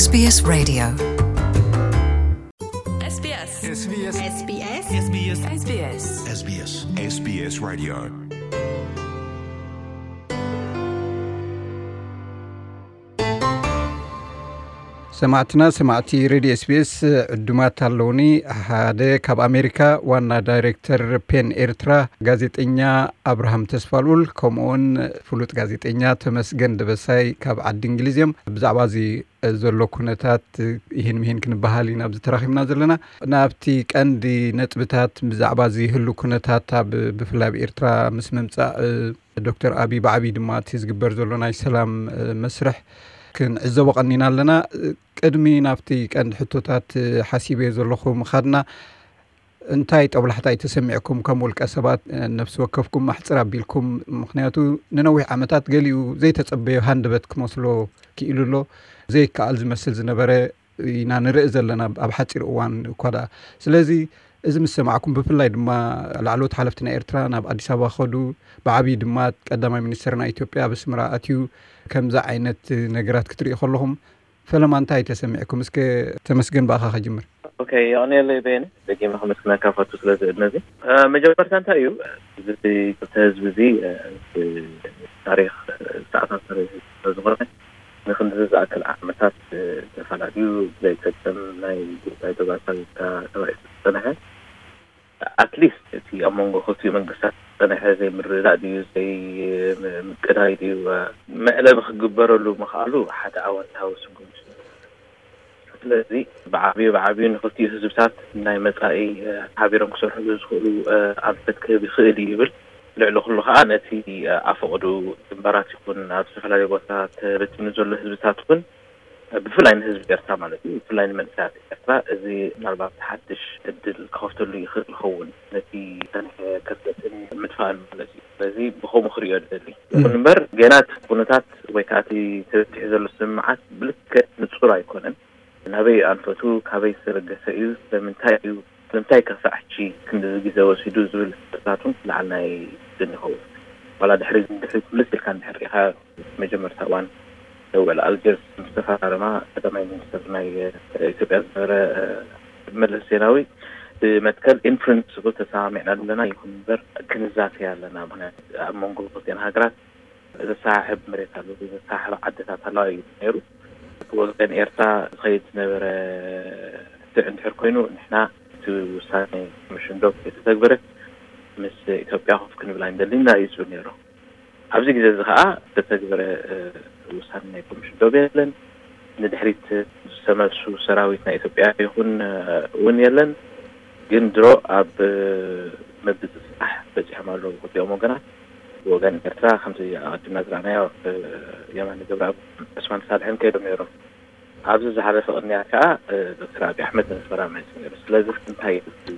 SBS Radio. SBS. SBS. SBS. SBS. SBS. SBS Radio. ሰማዕትና ሰማዕቲ ሬድዮ ኤስቢኤስ ዕዱማት ኣለውኒ። ሓደ ካብ ኣሜሪካ ዋና ዳይሬክተር ፔን ኤርትራ ጋዜጠኛ ኣብርሃም ተስፋልኡል፣ ከምኡውን ፍሉጥ ጋዜጠኛ ተመስገን ደበሳይ ካብ ዓዲ እንግሊዝ እዮም። ብዛዕባ እዚ ዘሎ ኩነታት ይህን ምሂን ክንበሃል ኢና ኣብዚ ተራኺብና ዘለና። ናብቲ ቀንዲ ነጥብታት ብዛዕባ እዚ ህሉ ኩነታት ኣብ ብፍላይ ኣብ ኤርትራ ምስ ምምጻእ ዶክተር ኣቢ ብዓቢ ድማ እቲ ዝግበር ዘሎ ናይ ሰላም መስርሕ ክንዕዘቦ ቀኒና ኣለና። ቅድሚ ናብቲ ቀንዲ ሕቶታት ሓሲበዮ ዘለኹ ምኻድና፣ እንታይ ጠብላሕታ እዩ ተሰሚዕኩም ከም ውልቀ ሰባት ነፍሲ ወከፍኩም ኣሕጽር ኣቢልኩም? ምኽንያቱ ንነዊሕ ዓመታት ገሊኡ ዘይተጸበዮ ሃንደበት ክመስሎ ክኢሉ ኣሎ። ዘይከኣል ዝመስል ዝነበረ ኢና ንርኢ ዘለና ኣብ ሓጺር እዋን እኳ ደኣ። ስለዚ እዚ ምስ ሰማዕኩም፣ ብፍላይ ድማ ላዕለዎት ሓለፍቲ ናይ ኤርትራ ናብ ኣዲስ ኣበባ ከዱ፣ ብዓብዪ ድማ ቀዳማይ ሚኒስትር ናይ ኢትዮጵያ ኣብ ኣስመራ ኣትዩ፣ ከምዚ ዓይነት ነገራት ክትርእዩ ከለኹም ፈለማ እንታይ ተሰሚዕኩም? እስከ ተመስገን ብኣኻ ከጅምር። ኦኬ፣ የቐንየለይ በየነ፣ ደጊመ ከመስግነካ ፈቱ ስለዚ ዕድመ እዚ። እ፣ መጀመርታ እንታይ እዩ፣ እዚ ክልተ ህዝቢ እዚ፣ እ፣ ብታሪኽ ዝተኣሳሰረ ህዝቢ ስለዝኾነ፣ ንክንድዚ ዝኣክል ዓመታት፣ እ፣ ተፈላለዩ ዘይጠቅም ናይ ጉዳይ ተባሳቢትካ ተባኢሱ ዝጸንሐ፣ ኣትሊስት እቲ ኣብ መንጎ ክልቲኡ መንግስታት ዝጸንሐ ዘይምርድዳእ ድዩ፣ ዘይምቅዳይ ድዩ፣ መዕለቢ ክግበረሉ ምኽኣሉ ሓደ ኣወንታዊ ስጉምቲ እዩ። ስለዚ ብዓብዩ ብዓብዩ ንክልቲኡ ህዝብታት ናይ መጻኢ፣ እ፣ ሓቢሮም ክሰርሕሉ ዝኽእሉ፣ እ፣ ኣንፈት ክህብ ይኽእል እዩ ይብል። ልዕሊ ኩሉ ከኣ ነቲ፣ እ፣ ኣፈቕዱ ግንባራት ይኹን ኣብ ዝተፈላለዩ ቦታታት ተበቲኑ ዘሎ ህዝብታት እውን፣ እ፣ ብፍላይ ንህዝቢ ኤርትራ ማለት እዩ፣ ብፍላይ ንመንእሰያት ኤርትራ እዚ ምናልባት ሓድሽ ዕድል ክኸፍተሉ ይኽእል ይኸውን፣ ነቲ ዝጸንሐ ክርተትን ምጥፋእን ማለት እዩ። ስለዚ ብኸምኡ ክርእዮ ዝደሊ። ይኹን እምበር ገና እቲ ኩነታት ወይ ከዓ እቲ ተበቲሑ ዘሎ ስምምዓት ብልክዕ ንጹር ኣይኮነን። ናበይ ኣንፈቱ፣ ካበይ ዝተበገሰ እዩ፣ ስለምንታይ እዩ፣ ስለምንታይ ከሳዕ ሕጂ ክንድዚ ግዜ ወሲዱ ዝብል ሕቶታት እውን ክለዓልና ይኽእል ይኸውን። ዋላ ድሕሪ ድሕሪ ክምልስ ኢልካ እንድሕር ርኢኻ፣ መጀመርታ እዋን ውዕል ኣልጀርስ ምስ ተፈራረማ ቀዳማይ ሚኒስትር ናይ ኢትዮጵያ ዝነበረ መለስ ዜናዊ ብመትከል ኢን ፕሪንስፕል ተሰማሚዕና ኣለና፣ ይኹን እምበር ክንዛተይ ኣለና፣ ምክንያቱ ኣብ መንጎ ክልቲኣን ሃገራት ዘሰሓሕብ መሬት ኣሎ፣ ዘሰሓሕብ ዓድታት ኣለዋ እዩ ነይሩ። ብወገን ኤርትራ ዝኸይድ ዝነበረ ክትዕ እንድሕር ኮይኑ፣ ንሕና እቲ ውሳኔ ኮሚሽን ዶብ ከይተተግበረ ምስ ኢትዮጵያ ኮፍ ክንብል ኣይንደልን ኢና እዩ ዝብል ነይሩ። ኣብዚ ግዜ እዚ ከዓ ዝተተግበረ፣ እ፣ ውሳኔ ናይ ኮሚሽን ዶብ የለን። ንድሕሪት ዝተመልሱ ሰራዊት ናይ ኢትዮጵያ ይኹን፣ እ፣ እውን የለን። ግን ድሮ ኣብ፣ እ፣ ምብፅፃሕ በፂሖም ኣለዉ ክልቲኦም ወገናት። ብወገን ኤርትራ ከምቲ ኣቐዲምና ዝረኣናዮ፣ እ፣ የማነ ገብረኣብ፣ ዑስማን ሳልሕን ከይዶም ነይሮም። ኣብዚ ዝሓለፈ ቅንያት ከዓ፣ እ፣ ዶክተር ኣብይ ኣሕመድ ንኣስመራ መፂኡ ነይሩ። ስለዚ እንታይ እዩ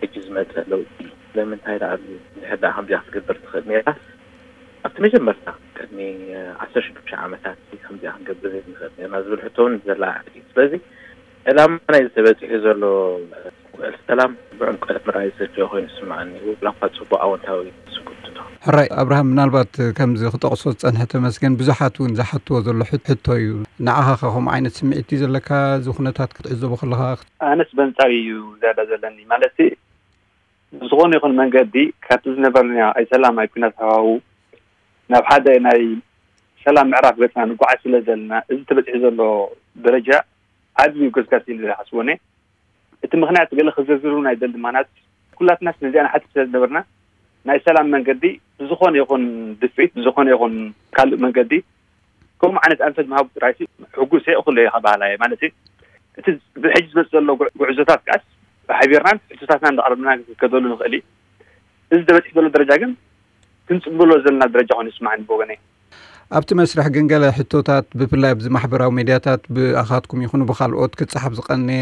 ሕጂ ዝመፀ ለውጢ? ስለምንታይ ደኣ ኣብዚ እንድሕር ደኣ ከምዚኣ ክትገብር ትኽእል ነይራስ ኣብቲ መጀመርታ ቅድሚ፣ እ፣ ዓሰርተ ሽዱሽተ ዓመታት ከምዚኣ ክንገብር ዘይንኽእል ነርና ዝብል ሕቶ እውን ዘላዓዕል እዩ። ስለዚ ዕላማ ናይ ተበፂሑ ዘሎ ውዕል ሰላም ብዕምቀት ምርኣይ ዘድልዮ ኮይኑ ዝስምዓኒ፣ ዋላ እኳ ፅቡቅ ኣወንታዊ ስጉምቲ እንተኾነ። ሕራይ ኣብርሃም፣ ምናልባት ከምዚ ክጠቕሶ ዝጸንሐ ተመስገን ብዙሓት እውን ዝሓትዎ ዘሎ ሕት-፣ ሕቶ እዩ። ንዓኻ ከ ከምኡ ዓይነት ስምዒት እዩ ዘለካ? እዚ ኩነታት ክትዕዘቦ ከለኻ? ኣነስ በንጻር እዩ ዝያዳ ዘለኒ። ማለት ብዝኾነ ይኹን መንገዲ ካብቲ ዝነበርና ኣይ ሰላም ኣይ ኲናት ሃዋሁ ናብ ሓደ ናይ ሰላም ምዕራፍ ገጽና ንጓዓዝ ስለ ዘለና፣ እዚ ተበጺሑ ዘሎ ደረጃ ዓቢ እዩ ገስጋስ ኢለ ዝሓስቦ እኔ። እቲ ምኽንያት ገለ ክዝርዝር እውን ኣይደልን። ምኽንያት ኩላትናስ ነዚኣ ንሓትት ስለ ዝነበርና፣ ናይ ሰላም መንገዲ ብዝኾነ ይኹን ድፍኢት፣ ብዝኾነ ይኹን ካልእ መንገዲ ከምኡ ዓይነት ኣንፈት ምሃቡ ጥራይሲ ሕጉስ እየ፣ እኹል እየ ክበሃል እየ። ማለት እዩ፣ እቲ ብሕጂ ዝመጽእ ዘሎ ጉዕ-፣ ጉዕዞታት ከኣስ ብሓቢርናን ሕቶታትናን እንዳቕረብና ክንከደሉ ንኽእል እዩ። እዚ ተበጺሑ ዘሎ ደረጃ ግን ክንጽምብሎ ዘለና ደረጃ ኮይኑ ይስማዓኒ ብወገነይ። ኣብቲ መስርሕ ግን ገለ ሕቶታት፣ ብፍላይ ኣብዚ ማሕበራዊ ሜድያታት ብኣኻትኩም ይኹኑ ብኻልኦት ክጸሓፍ ዝቐነየ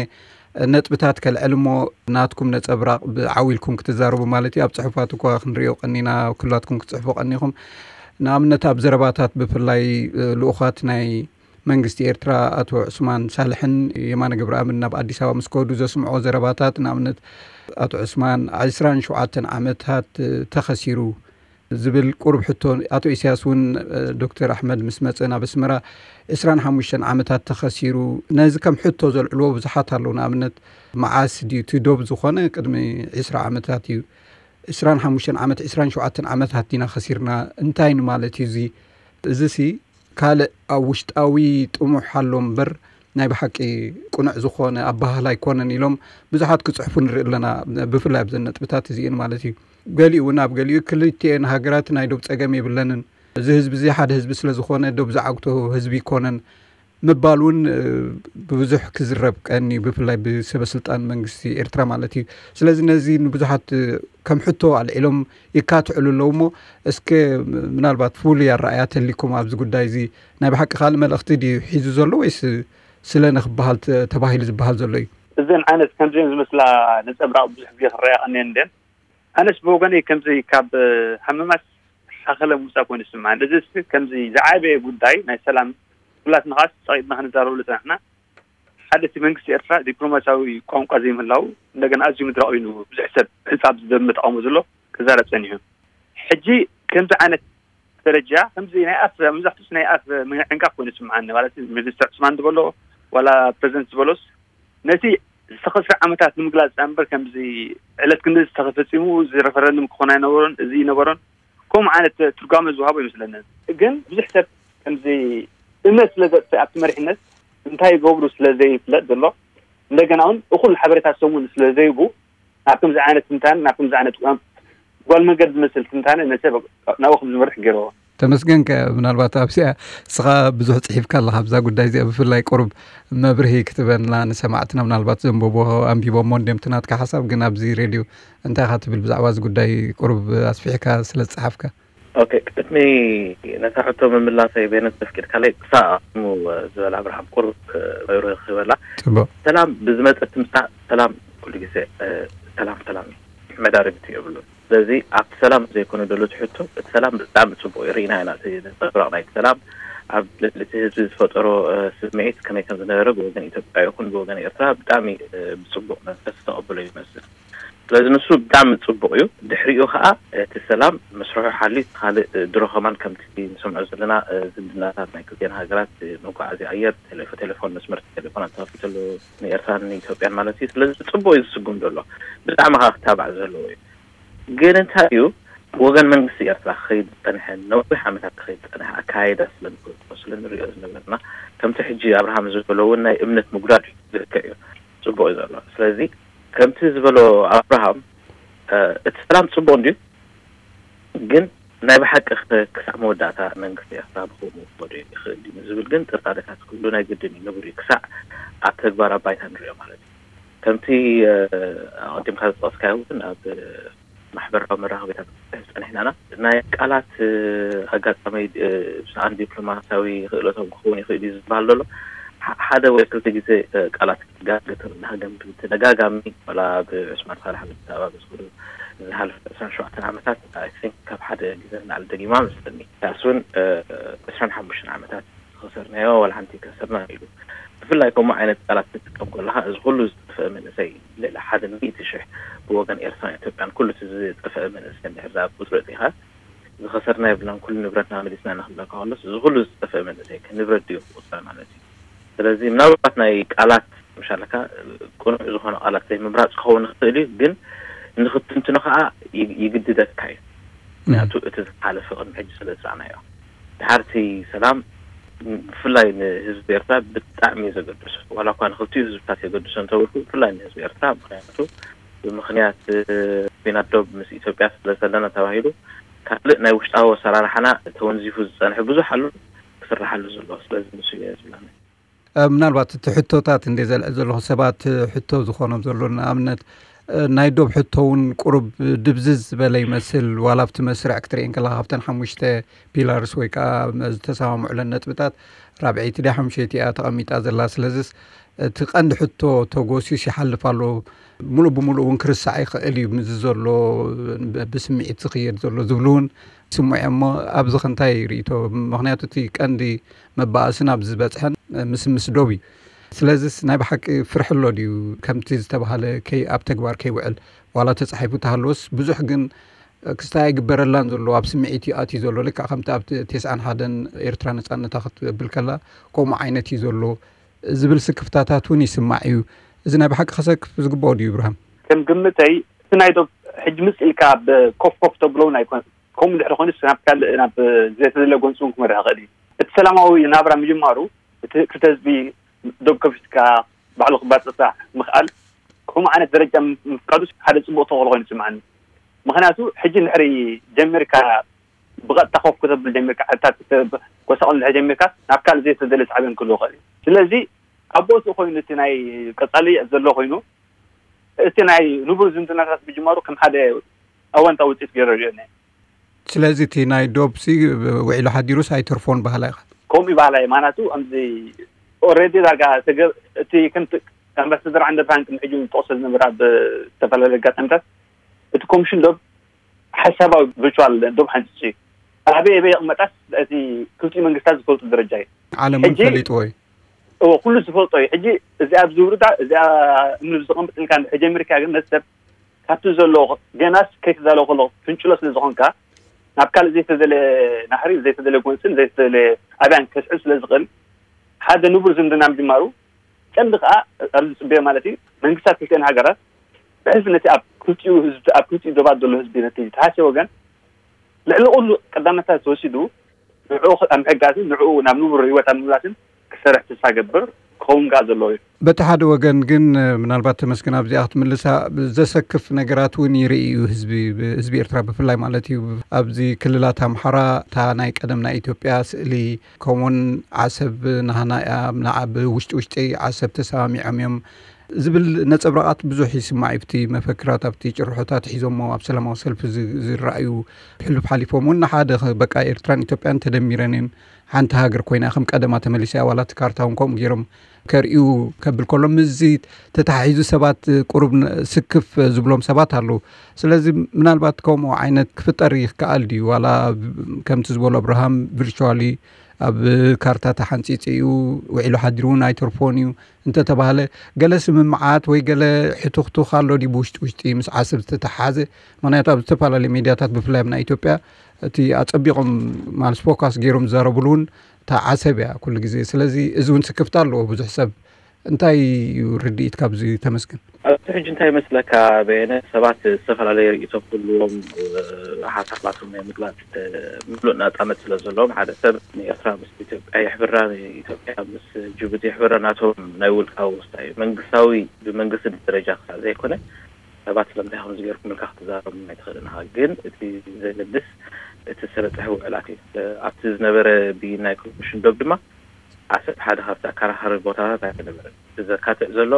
ነጥብታት ከልዕል እሞ፣ ናትኩም ነጸብራቕ ብዓው ኢልኩም ክትዛረቡ ማለት እዩ። ኣብ ጽሑፋት እኳ ክንርእዮ ቀኒና፣ ኩላትኩም ክትጽሕፉ ቀኒኹም። ንኣብነት ኣብ ዘረባታት ብፍላይ ልኡኻት ናይ መንግስቲ ኤርትራ ኣቶ ዑስማን ሳልሕን የማነ ገብረኣብን ናብ ኣዲስ ኣበባ ምስ ከዱ ዘስምዕዎ ዘረባታት፣ ንኣብነት ኣቶ ዑስማን ዕስራን ሸውዓተን ዓመታት ተኸሲሩ ዝብል ቁሩብ ሕቶ። ኣቶ ኢሳያስ እውን ዶክተር ኣሕመድ ምስ መጸ ናብ ኣስመራ ዕስራን ሓሙሽተን ዓመታት ተኸሲሩ። ነዚ ከም ሕቶ ዘልዕልዎ ብዙሓት ኣለዉ። ንኣብነት መዓስ ድዩ እቲ ዶብ ዝኾነ? ቅድሚ ዕስራ ዓመታት እዩ። ዕስራን ሓሙሽተን ዓመት፣ ዕስራን ሸውዓተን ዓመታት ዲና ከሲርና? እንታይ ንማለት እዩ እዚ? እዚ ሲ ካልእ ኣብ ውሽጣዊ ጥሙሕ ኣሎ እምበር ናይ ብሓቂ ቅኑዕ ዝኾነ ኣባህላ ኣይኮነን ኢሎም ብዙሓት ክጽሕፉ ንርኢ ኣለና። ብፍላይ ኣብዘን ነጥብታት እዚኤን ማለት እዩ። ገሊኡ እውን ኣብ ገሊኡ ክልቲኤን ሃገራት ናይ ዶብ ጸገም የብለንን፣ እዚ ህዝቢ እዚ ሓደ ህዝቢ ስለ ዝኾነ ዶብ ዝዓግቶ ህዝቢ ይኮነን ምባል እውን ብብዙሕ ክዝረብ ቀኒ፣ ብፍላይ ብሰበ ስልጣን መንግስቲ ኤርትራ ማለት እዩ። ስለዚ ነዚ ንብዙሓት ከም ሕቶ ኣልዒሎም ይካትዕሉ ኣለዉ እሞ እስከ ምናልባት ፍሉይ ኣረኣያ ተሊኩም ኣብዚ ጉዳይ እዚ ናይ ብሓቂ ካልእ መልእኽቲ ድዩ ሒዙ ዘሎ ወይስ ስለ ንክበሃል ተ- ተባሂሉ ዝበሃል ዘሎ እዩ? እዘን ዓይነት ከምዚን ዝመስላ ነጸብራቕ ብዙሕ ግዜ ክረኣያ ቀኒየን እንድን። ኣነስ ብወገነይ ከምዚ ካብ ሃመማስ ሓኸለ ምውፃእ ኮይኑ ይስምዓኒ። እዚ ስ- ከምዚ ዝዓበየ ጉዳይ ናይ ሰላም ኩላትና ኸዓ ጸቂጥና ክንዛረበሉ ዝጸናሕና ሓደ እቲ መንግስቲ ኤርትራ ዲፕሎማሲያዊ ቋንቋ ዘይምህላው እንደገና ኣዝዩ ምድራቕ ኮይኑ ብዙሕ ሰብ ሕጻብ ዝደመ ተቃውሞ ዘሎ ክዛረብ ጸኒሑ። ሕጂ ከምዚ ዓይነት ደረጃ ከምዚ ናይ ኣፍ መብዛሕትኡስ ናይ ኣፍ ምዕንቃፍ ኮይኑ ይስምዓኒ። ማለት ሚኒስተር ዑስማን ዝበሎ ዋላ ፕረዚደንት ዝበሎስ ነቲ ዝተኸስረ ዓመታት ንምግላጽ እምበር ከምዚ ዕለት ክንዲ ዝተፈጺሙ እዚ ረፈረንድም ክኾን ኣይነበሮን እዚ ይነበሮን ከምኡ ዓይነት ትርጓመ ዝወሃቦ ይመስለንን። ግን ብዙሕ ሰብ ከምዚ እምነት ስለ ዘጥፍእ ኣብቲ መሪሕነት እንታይ ይገብሩ ስለ ዘይፍለጥ ዘሎ እንደገና እውን እኹል ሓበሬታ ሰሙን ስለ ዘይቡ ናብ ከምዚ ዓይነት ትንታነ ናብ ከምዚ ዓይነት ጓል መንገድ ዝመስል ትንታነ ነሰብ ናብኡ ከም ዝመርሕ ገይርዎ። ተመስገንከ ምናልባት ኣብዚኣ እስኻ ብዙሕ ጽሒፍካ ኣለኻ ኣብዛ ጉዳይ እዚኣ ብፍላይ ቁሩብ መብርሂ ክትበና ንሰማዕትና ምናልባት ዘንበቦ ኣንቢቦሞ እንድዮም እቲ ናትካ ሓሳብ ግን ኣብዚ ሬድዮ እንታይ ኢኻ ትብል ብዛዕባ እዚ ጉዳይ ቁሩብ ኣስፊሕካ ስለ ዝጸሓፍካ። ኦኬ ቅድሚ ነታ ሕቶ ምምላሰይ ቤነት ተፍቂድካለይ ክሳብ ኣቕድሙ ዝበል ኣብርሃም ቁሩብ መብርሂ ክህበላ ጽቡቅ ሰላም ብዝመጸ ትምጻእ ሰላም ኩሉ ግዜ ሰላም ሰላም እዩ መዳርግቲ የብሉን ስለዚ ኣብቲ ሰላም ዘይኮነ ደሎ ትሕቶ እቲ ሰላም ብጣዕሚ ጽቡቅ እዩ ርኢና ኢና እቲ ነጸብራቅ ናይቲ ሰላም ኣብ ልዕሊ እቲ ህዝቢ ዝፈጠሮ ስምዒት ከመይ ከም ዝነበረ ብወገን ኢትዮጵያ ይኹን ብወገን ኤርትራ ብጣዕሚ ብጽቡቅ መንፈስ ዝተቐበሎ ይመስል ስለዚ ንሱ ብጣዕሚ ጽቡቅ እዩ ድሕሪኡ ከዓ እቲ ሰላም መስርሑ ሓልዩ ካልእ ድሮ ከማን ከምቲ ንሰምዖ ዘለና ዝምድናታት ናይ ክልቲኤን ሃገራት መጓዓዝያ ኣየር ቴሌፎን መስመር ቴሌፎናት ተኸፊቱ ኣሎ ንኤርትራን ንኢትዮጵያን ማለት እዩ ስለዚ ጽቡቅ እዩ ዝስጉም ዘሎ ብጣዕሚ ከዓ ክታባዕ ዘለዎ እዩ ግን እንታይ እዩ ብወገን መንግስቲ ኤርትራ ክኸይድ ዝጸንሐ ነዊሕ ዓመታት ክኸይድ ዝጸንሐ ኣካያይዳ ስለንፈልጦ ስለንሪኦ ዝነበርና ከምቲ ሕጂ ኣብርሃም ዝበሎ እውን ናይ እምነት ምጉዳድ እዩ ልክዕ እዩ ጽቡቅ እዩ ዘሎ ስለዚ ከምቲ ዝበሎ ኣብርሃም እቲ ሰላም ጽቡቅ እንድዩ ግን ናይ ብሓቂ ክሳዕ መወዳእታ መንግስቲ ኤርትራ ብከምኡ ክኸዶ ይኽእል ድዩ ዝብል ግን ጥርጣሬታት ክህሉ ናይ ግድን እዩ ንቡር እዩ ክሳዕ ኣብ ተግባር ኣብ ባይታ ንሪኦ ማለት እዩ ከምቲ ኣቐዲምካ ዝጠቐስካዮ እውን ኣብ ማሕበራዊ መራኸቢታት ክንፅሕፍ ፀኒሕና ኢና ናይ ቃላት ኣጋጣሚ ብሰኣን ዲፕሎማሲያዊ ክእለቶም ክኸውን ይኽእል እዩ ዝበሃል ዘሎ ሓደ ወይ ክልተ ግዜ ቃላት ክትጋግር ተደጋጋሚ ዋላ ብዑስማን ሳልሕ ብዛዕባ ብዝኽዱ ዝሓለፈ ዕስራን ሸውዓተን ዓመታት I think ካብ ሓደ ግዜ ንላዕሊ ደጊማ መስለኒ ያስ እውን ዕስራን ሓሙሽተን ዓመታት ዝኸሰርናዮ ዋላ ሓንቲ ከሰርና ኢሉ ብፍላይ ከምኡ ዓይነት ቃላት ትጥቀም ከለካ እዚ ኩሉ ዝጠፍአ መንእሰይ ልዕሊ ሓደ ሚእቲ ሽሕ ብወገን ኤርትራን ኢትዮጵያን ኩሉ እቲ ዝጠፍአ መንእሰይ እንድሕር ዝኣ ቁፅሪ እቲካ ዝኸሰርና የብልናን ኩሉ ንብረትና መሊስና ንክብለካ ከሎስ እዚ ኩሉ ዝጠፍአ መንእሰይ ከ ንብረት ድዩ ክቁፀር ማለት እዩ ስለዚ ምናልባት ናይ ቃላት ምሻለካ ቅኑዕ ዝኾነ ቃላት ዘይምምራፅ ክኸውን ይኽእል እዩ ግን ንክትንትኖ ከዓ ይግድደካ እዩ ምክንያቱ እቲ ዝሓለፈ ቅድሚ ሕጂ ስለ ዝረኣናዮ ድሓርቲ ሰላም ብፍላይ ንህዝቢ ኤርትራ ብጣዕሚ እዩ ዘገድሶ ዋላ እኳ ንክልቲኡ ህዝብታት የገድሶ እንተበልኩ ብፍላይ ንህዝቢ ኤርትራ ምክንያቱ ብምክንያት ኩናት ዶብ ምስ ኢትዮጵያ ስለ ዘለና ተባሂሉ ካልእ ናይ ውሽጣዊ ኣሰራርሓና ተወንዚፉ ዝፀንሐ ብዙሕ ኣሎ ክስርሓሉ ዘሎ ስለዚ ንሱ እየ ዝብለኒ ምናልባት እቲ ሕቶታት እንደ ዘልዕል ዘለኹ ሰባት ሕቶ ዝኾኖም ዘሎ ንኣብነት ናይ ዶብ ሕቶ እውን ቁሩብ ድብዝዝ ዝበለ ይመስል ዋላ ኣብቲ መስርዕ ክትርእየን ከለካ ካብተን ሓሙሽተ ፒላርስ ወይ ከዓ ዝተሰማምዑለን ነጥብታት ራብዐይቲ ድያ ሓሙሸይቲ እያ ተቐሚጣ ዘላ ስለዚስ እቲ ቀንዲ ሕቶ ተጎሲስ ይሓልፍ ኣሎ ሙሉእ ብሙሉእ እውን ክርስዕ ይኽእል እዩ ምዚ ዘሎ ብስምዒት ዝኽየድ ዘሎ ዝብሉ እውን ስምዑ እሞ ኣብዚ ከ እንታይ ርእይቶ ምኽንያቱ እቲ ቀንዲ መባእስን ኣብ ዝበጽሐን ምስምስ ዶብ እዩ ስለዚስ ናይ ብሓቂ ፍርሒ ኣሎ ድዩ ከምቲ ዝተባህለ ከይ ኣብ ተግባር ከይውዕል ዋላ ተጻሒፉ ተሃለወስ ብዙሕ ግን ክስታይ ኣይግበረላን ዘሎ፣ ኣብ ስምዒት እዩ ኣትዩ ዘሎ። ልክዕ ከምቲ ኣብቲ ተስዓን ሓደን ኤርትራ ነጻነታ ክትብል ከላ ከምኡ ዓይነት እዩ ዘሎ ዝብል ስክፍታታት እውን ይስማዕ እዩ። እዚ ናይ ብሓቂ ከሰክፍ ዝግብኦ ድዩ፣ ብርሃም? ከም ግምተይ፣ እቲ ናይ ዶብ ሕጂ ምስ ኢልካ ኣብ ኮፍ ኮፍ ተብሎ እውን ኣይኮነን። ከምኡ እንድሕር ኮይኑ ናብ ካልእ፣ ናብ ዘይተደለ ጎንፂ እውን ክመርሕ ይኽእል እዩ። እቲ ሰላማዊ ናብራ ምጅማሩ፣ እቲ ክልተ ህዝቢ ዶብ ከፊትካ ባዕሉ ክባፅፃሕ ምኽኣል፣ ከምኡ ዓይነት ደረጃ ምፍቃዱ ሓደ ፅቡቕ ተኽእሎ ኮይኑ ይስምዓኒ። ምኽንያቱ ሕጂ እንድሕሪ ጀሚርካ፣ ብቐጥታ ኮፍ ክተብል ጀሚርካ፣ ዕታት ጎሳቑል እንድሕሪ ጀሚርካ፣ ናብ ካልእ ዘይተደለ ሳዕቤን ክህልዎ ይኽእል እዩ። ስለዚ ኣብ ቦትኡ ኮይኑ እቲ ናይ ቀጻሊ ዘሎ ኮይኑ፣ እቲ ናይ ንቡር ዝምድናታት ምጅማሩ ከም ሓደ ኣወንታዊ ውፅኢት ገይረ ሪኦ እየ። ስለዚ እቲ ናይ ዶብሲ ውዒሉ ሓዲሩስ ኣይተርፎን በሃላ ኢኻ? ከምኡ ይበሃላ እየ። ማናቱ ከምዚ ኦልሬዲ ዳርጋ ተገ-፣ እቲ ከምቲ ኣምባሳደር ዓንደብርሃን ቅድሚ ሕጂ እውን ዝጠቕሶ ዝነበረ ኣብ ዝተፈላለዩ ኣጋጣሚታት፣ እቲ ኮሚሽን ዶብ ሓሳባዊ ቨርቹዋል ዶብ ሓንፂፁ እዩ። ኣበይ ኣበይ ይቕመጣስ እቲ ክልቲኡ መንግስታት ዝፈልጡ ደረጃ እዩ። ዓለም እውን ሕጂ ፈሊጥዎ እዩ። እዎ፣ ኩሉ ዝፈልጦ እዩ። ሕጂ እዚኣ ኣብዚ ውርዳ፣ እዚኣ እምኒ ብዝቐምጥ ኢልካ እንድሕር ጀሚርካ ግን ነቲ ሰብ ካብቲ ዘሎ ገናስ ከይተዳለወ ከሎ ፍንጭሎ ስለ ዝኾንካ ናብ ካልእ ዘይተደለ ናሕሪ፣ ዘይተደለ ጎንፅን ዘይተደለ ኣብያን ከስዕብ ስለ ዝኽእል ሓደ ንቡር ዝምድና ምጅማሩ ቀንዲ ከዓ ኣብዚ ዝፅበዮ ማለት እዩ መንግስታት ክልቲአን ሃገራት ብሕልፊ ነቲ ኣብ ክልቲኡ ህዝቢ፣ ኣብ ክልቲኡ ዶባት ዘሎ ህዝቢ ነቲ ተሃስየ ወገን ልዕሊ ኩሉ ቀዳምነት ተወሲዱ ንዕኡ ኣብ ምሕጋዝን ንዕኡ ናብ ንቡር ህይወት ኣብ ምምላስን ክሰርሕ ተስፋ ገብር ክኸውን ከዓ ዘለዎ እዩ። በቲ ሓደ ወገን ግን ምናልባት ተመስገን ኣብዚኣ ክትምልሳ ዘሰክፍ ነገራት እውን ይርኢ እዩ ህዝቢ፣ ህዝቢ ኤርትራ ብፍላይ ማለት እዩ። ኣብዚ ክልላት ኣምሓራ እታ ናይ ቀደም ናይ ኢትዮጵያ ስእሊ ከምኡውን ዓሰብ ናህና እያ፣ ንዓ ብውሽጢ ውሽጢ ዓሰብ ተሰማሚዖም እዮም ዝብል ነጸብራቓት ብዙሕ ይስማዕ እዩ። ኣብቲ መፈክራት፣ ኣብቲ ጭርሖታት ሒዞሞ ኣብ ሰላማዊ ሰልፊ ዝ-፣ ዝረኣዩ ሕሉፍ ሓሊፎም እውን ንሓደ ኸ-፣ በቃ ኤርትራን ኢትዮጵያን ተደሚረን እየን፣ ሓንቲ ሃገር ኮይና ከም ቀደማ ተመሊሳ እያ። ዋላ እቲ ካርታ እውን ከምኡ ገይሮም ከርእዩ ከብል ከሎ ምስዚ ተተሓሒዙ ሰባት ቁሩብ ን-፣ ስክፍ ዝብሎም ሰባት ኣለዉ። ስለዚ ምናልባት ከምኡ ዓይነት ክፍጠር ይከኣል ድዩ? ዋላ ከምቲ ዝበሎ ኣብርሃም ቪርቹዋሊ ኣብ ካርታ ተሓንጺጹ እዩ፣ ውዒሉ ሓዲሩ እውን ኣይተርፎን እዩ እንተተባህለ፣ ገለ ስምምዓት ወይ ገለ ሕቱኽቱኽ ኣሎ ድዩ ብውሽጢ ውሽጢ ምስ ዓሰብ ዝተተሓሓዘ? ምኽንያቱ ኣብ ዝተፈላለዩ ሚድያታት ብፍላይ ኣብ ናይ ኢትዮጵያ እቲ ኣጸቢቖም ማለት ፎካስ ገይሮም ዝዛረብሉ እውን እታ ዓሰብ እያ ኩሉ ግዜ። ስለዚ እዚ እውን ስክፍታ ኣለዎ ብዙሕ ሰብ። እንታይ እዩ ርድኢት ካብዚ ተመስገን? ኣብዚ ሕጂ እንታይ ይመስለካ በየነ፣ ሰባት ዝተፈላለየ ርእይቶ ክህልዎም፣ እ፣ ሓሳባቶም ናይ ምግላጽ፣ እ፣ ምሉእ ናጻነት ስለ ዘለዎም፣ ሓደ ሰብ ንኤርትራ ምስ ኢትዮጵያ የሕብራ፣ ንኢትዮጵያ ምስ ጅቡቲ የሕብራ፣ ናቶም ናይ ውልቃዊ ውሳኔ እዩ። መንግስታዊ፣ ብመንግስቲ ደረጃ ክሳዕ ዘይኮነ ሰባት ስለምንታይ ከምዚ ገይርኩም ኢልካ ክትዛረቡ ኣይትኽእልን ኢኻ። ግን እቲ ዘገድስ እቲ ዝተበጽሐ ውዕላት እዩ። እ፣ ኣብቲ ዝነበረ ብይን ናይ ኮሚሽን ዶብ ድማ ዓሰርተ ሓደ ካብቲ ኣከራኻሪ ቦታታት ኣይነበረን። እቲ ዘካትዕ ዘሎ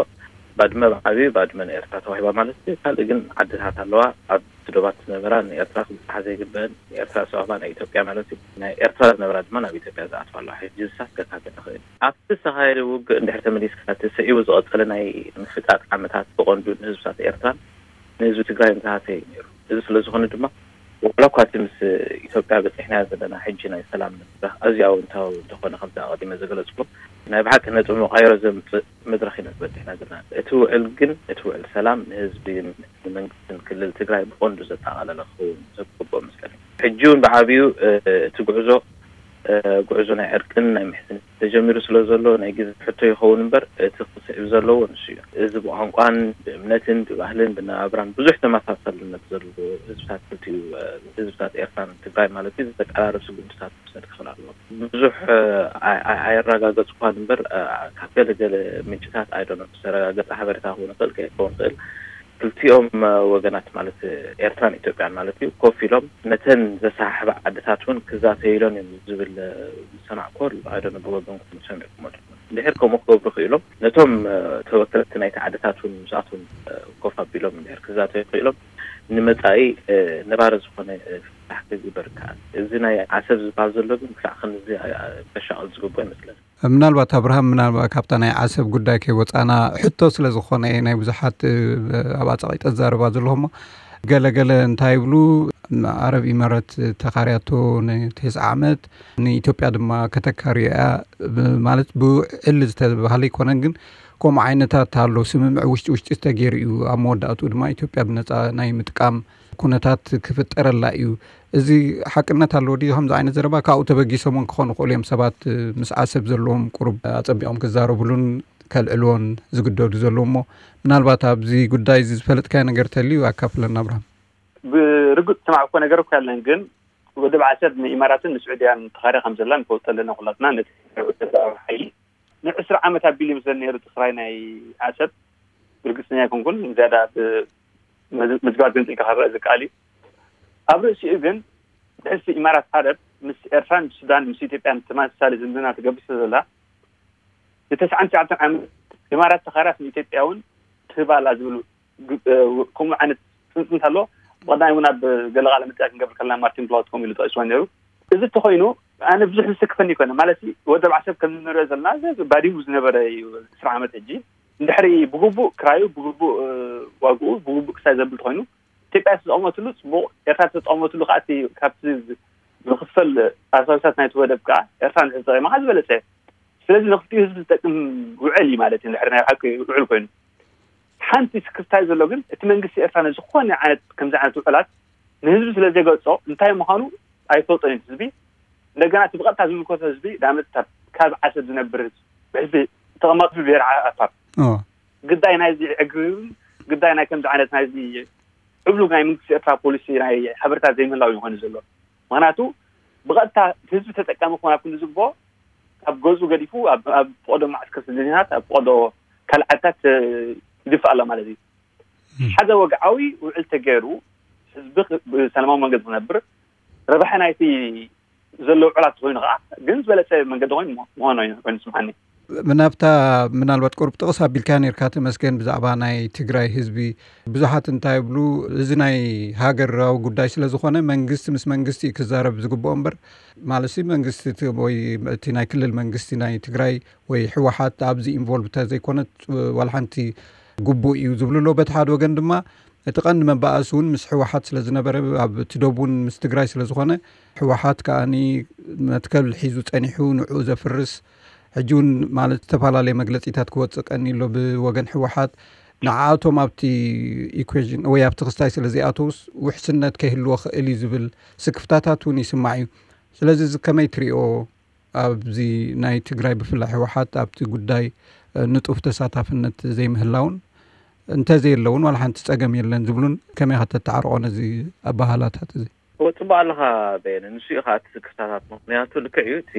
ባድመ ብዓብዩ ባድመ ንኤርትራ ተዋሂባ ማለት እዩ። ካልእ ግን ዓድታት ኣለዋ ኣብቲ ዶባት ዝነበራ ንኤርትራ ክብጽሓ ዘይግበአን፣ ንኤርትራ ዝሰዋህባ ናይ ኢትዮጵያ ማለት እዩ። ናይ ኤርትራ ዝነበራ ድማ ናብ ኢትዮጵያ ዝኣትዋ ኣለዋ። ሕጂ ዝሳት ከካትዕ ይኽእል። ኣብቲ ዝተኻየደ ውግእ እንድሕር ተመሊስካ እቲ ስዒቡ ዝቐጸለ ናይ ምፍጣጥ ዓመታት ብቐንዱ ንህዝብታት ኤርትራን ንህዝቢ ትግራይን ዝሃሰየ እዩ ነይሩ። እዚ ስለ ዝኾነ ድማ ዋላ እኳ እቲ ምስ ኢትዮጵያ በፂሕናዮ ዘለና ሕጂ ናይ ሰላም መድረኽ ኣዝዩ ኣወንታዊ እንተኾነ፣ ከምቲ ኣቐዲመ ዝገለፅኩ፣ ናይ ብሓቂ ነጥቢ መቃይሮ ዘምፅእ መድረኽ ኢና ዝበፂሕና ዘለና። እቲ ውዕል ግን እቲ ውዕል ሰላም ንህዝብን ንመንግስትን ክልል ትግራይ ብቐንዱ ዘጠቓለለ ክኸውን ዝግብኦ መስለኒ። ሕጂ እውን ብዓብዩ፣ እ፣ እቲ ጉዕዞ፣ እ፣ ጉዕዞ ናይ ዕርቅን ናይ ምሕዝነት ተጀሚሩ ስለ ዘሎ ናይ ግዜ ሕቶ ይኸውን እምበር እቲ ክስዕብ ዘለዎ ንሱ እዩ። እዚ ብቋንቋን ብእምነትን ብባህልን ብነባብራን ብዙሕ ተመሳሳልነት ዘለዎ ህዝብታት ክልቲኡ፣ እ፣ ህዝብታት ኤርትራን ትግራይ ማለት እዩ፣ ዘቀራርብ ስጉምትታት ክውሰድ ክኽእል ኣለዎ። ብዙሕ፣ እ፣ ኣይ-፣ ኣይ-፣ ኣየረጋገጽኳን እምበር፣ እ፣ ካብ ገለ ገለ ምንጭታት ኣይደኖ ዝተረጋገጸ ሓበሬታ ክኸውን ይኽእል ከይከውን ይኽእል። ክልቲኦም፣ እ፣ ወገናት ማለት ኤርትራን ኢትዮጵያን ማለት እዩ ኮፍ ኢሎም ነተን ዘሰሓሕባ ዓድታት እውን ክዛተይሎን እዮም ዝብል፣ እ፣ ዝሰማዕኮ ኣሎ። ኣይደኖ ብወገንኩም ሰሚዕኩሞ ዶ? እንድሕር ከምኡ ክገብሩ ክኢሎም ነቶም፣ እ፣ ተወከልቲ ናይቲ ዓድታት እውን ምስኣቶም፣ እ፣ ኮፍ ኣቢሎም እንድሕር ክዛተዩ ክኢሎም ንመጻኢ፣ እ፣ ነባሪ ዝኾነ፣ እ፣ ፍታሕ ክግበር ይከኣል። እዚ ናይ ዓሰብ ዝበሃል ዘሎ ግን ክሳዕ ክንዚ፣ እ፣ ከሻቕል ዝግብኦ ይመስለኒ። ምናልባት ኣብርሃም፣ ምናልባት ካብታ ናይ ዓሰብ ጉዳይ ከይወፃና ሕቶ ስለ ዝኾነ ናይ ብዙሓት፣ እ፣ ኣብ ኣጻቒ ተዛረባ ዘለኹሞ ገለ ገለ እንታይ ይብሉ፣ ዓረብ ኢማራት ተኻርያቶ ንተስዓ ዓመት ንኢትዮጵያ ድማ ከተካርዮ እያ ብ-፣ ማለት ብውዕል ዝተባህለ ኣይኮነን፣ ግን ከምኡ ዓይነታት ኣሎ። ስምምዕ ውሽጢ ውሽጢ ዝተገይሩ እዩ። ኣብ መወዳእትኡ ድማ ኢትዮጵያ ብነፃ ናይ ምጥቃም ኩነታት ክፍጠረላ እዩ። እዚ ሓቅነት ኣለዎ ድዩ? ከምዚ ዓይነት ዘረባ ካብኡ ተበጊሶም እውን ክኾኑ ይኽእሉ እዮም። ሰባት ምስ ዓሰብ ዘለዎም ቁሩብ ኣጸቢቖም ክዛረብሉን ከልዕልዎን ዝግደዱ ዘለዉ እሞ፣ ምናልባት ኣብዚ ጉዳይ እዚ ዝፈለጥካዮ ነገር ተልዩ ኣካፍለና ኣብርሃም። ብርግጽ ዝሰማዕኩዎ ነገር እኮ የለን፣ ግን ወደብ ዓሰብ ንኢማራትን ንስዑድያን ተኻርያ ከም ዘላ ንፈልጦ ኣለና ኩላትና። ነቲ ወደብ ሓይሊ ንዕስራ ዓመት ኣቢሉ ይመስለኒ ነይሩ እቲ ክራይ ናይ ዓሰብ። ብርግጽኛ ኣይኮንኩን፣ ዝያዳ ብመዝ-፣ መዝገባት ገንጺልካ ክረአ ዝከኣል እዩ። ኣብ ርእሲኡ ግን ብሕልፊ ኢማራት ዓረብ ምስ ኤርትራን ሱዳን ምስ ኢትዮጵያን ተመሳሳሊ ዝምድና ትገብር ስለ ዘላ ንተስዓን ትሽዓተን ዓመት ኢማራት ተኻርያስ ንኢትዮጵያ እውን ትህባ ኣላ ዝብሉ ግ-፣ እ፣ ከምኡ ዓይነት ጽንጽንት ኣሎ። ብቐዳማይ እውን ኣብ ገለ ቃለ መጠይቕ ክንገብር ከለና ማርቲን ፕላውት ከምኡ ኢሉ ጠቒስዎ ነይሩ። እዚ እንተኾይኑ ኣነ ብዙሕ ዝስክፈኒ ይኮነ ማለት ወደብ ዓሰብ ከም እንሪኦ ዘለና እዚ ባዲሙ ዝነበረ እዩ። ዕስራ ዓመት ሕጂ እንድሕሪ ብግቡእ ክራዩ ብግቡእ እ፣ ዋግኡ ብግቡእ ክሳይ ዘብል እንተኾይኑ ኢትዮጵያ ተጠቐመትሉ ጽቡቕ፣ ኤርትራ ተጠቐመትሉ ከዓ እቲ ካብቲ ዝኽፈል ኣሳቢታት ናይቲ ወደብ ከዓ ኤርትራ እንድሕር ተጠቒማ ከዓ ዝበለጸ እዩ። ስለዚ ንክልቲኡ ህዝቢ ዝጠቅም ውዕል እዩ ማለት እዩ። እንድሕር ናይ ሓቂ ውዕል ኮይኑ ሓንቲ ስክፍታይ ዘሎ ግን እቲ መንግስቲ ኤርትራ ንዝኾነ ዓይነት ከምዚ ዓይነት ውዕላት ንህዝቢ ስለ ዘይገልጾ እንታይ ምዃኑ ኣይፈልጦን እዩ ህዝቢ። እንደገና እቲ ብቐጥታ ዝምልከቶ ህዝቢ ንኣብነት ካብ ዓሰብ ዝነብር ህዝቢ ብህዝቢ ተቐማጥ ህዝቢ ብሄር ዓፋር ግዳይ ናይዚ ዕግርግርን ግዳይ ናይ ከምዚ ዓይነት ናይዚ ዕብሉግ ናይ መንግስቲ ኤርትራ ፖሊሲ ናይ ሓበሬታ ዘይምህላው ይኾን ዘሎ። ምክንያቱ ብቐጥታ ህዝቢ ተጠቃሚ ክኾን ኣብ ክንዲ ዝግብኦ ካብ ገዝኡ ገዲፉ ኣብ ኣብ ፈቐዶ ማዕስከር ስደተኛታት ኣብ ፈቐዶ ካልእ ዓድታት ይድፋእ ኣሎ ማለት እዩ። ሓደ ወግዓዊ ውዕል ተገይሩ ህዝቢ ብሰላማዊ መንገዲ ክነብር ረብሓ ናይቲ ዘሎ ውዕላት ኮይኑ ከዓ ግን ዝበለፀ መንገዲ ኮይኑ ምኾኖ ኮይኑ ስምዓኒ። ብናብታ ምናልባት ቁሩብ ጥቕስ ኣቢልካ ነርካ ተመስገን ብዛዕባ ናይ ትግራይ ህዝቢ ብዙሓት እንታይ ይብሉ፣ እዚ ናይ ሃገራዊ ጉዳይ ስለ ዝኾነ መንግስቲ ምስ መንግስቲ እዩ ክዛረብ ዝግብኦ እምበር፣ ማለት መንግስቲ ወይ እቲ ናይ ክልል መንግስቲ ናይ ትግራይ ወይ ህወሓት ኣብዚ ኢንቮልቭ ተዘይኮነት ዋላ ሓንቲ ግቡእ እዩ ዝብሉ ኣሎ። በቲ ሓደ ወገን ድማ እቲ ቀንዲ መባኣሲ እውን ምስ ህወሓት ስለ ዝነበረ ኣብ እቲ ዶብ እውን ምስ ትግራይ ስለ ዝኾነ ህወሓት ከኣኒ መትከል ሒዙ ጸኒሑ ንዕኡ ዘፍርስ ሕጂ እውን ማለት ዝተፈላለየ መግለጺታት ክወጽእ ቀኒ ኣሎ ብወገን ህወሓት። ንዓኣቶም ኣብቲ ኢኩዌሽን ወይ ኣብቲ ክስታይ ስለ ዘይኣተውስ ውሕስነት ከይህልዎ ክእል እዩ ዝብል ስክፍታታት እውን ይስማዕ እዩ። ስለዚ እዚ ከመይ ትሪኦ? ኣብዚ ናይ ትግራይ ብፍላይ ህወሓት ኣብቲ ጉዳይ ንጡፍ ተሳታፍነት ዘይምህላውን እንተዘየለውን ዋላ ሓንቲ ፀገም የለን ዝብሉን ከመይ ከተተዓርቆ ነዚ ኣባሃላታት እዚ? እወ፣ ጽቡቕ ኣለኻ በየነ። ንሱ እዩ ኸኣ እቲ ስክፍታታት። ምኽንያቱ ልክዕ እዩ፣ እቲ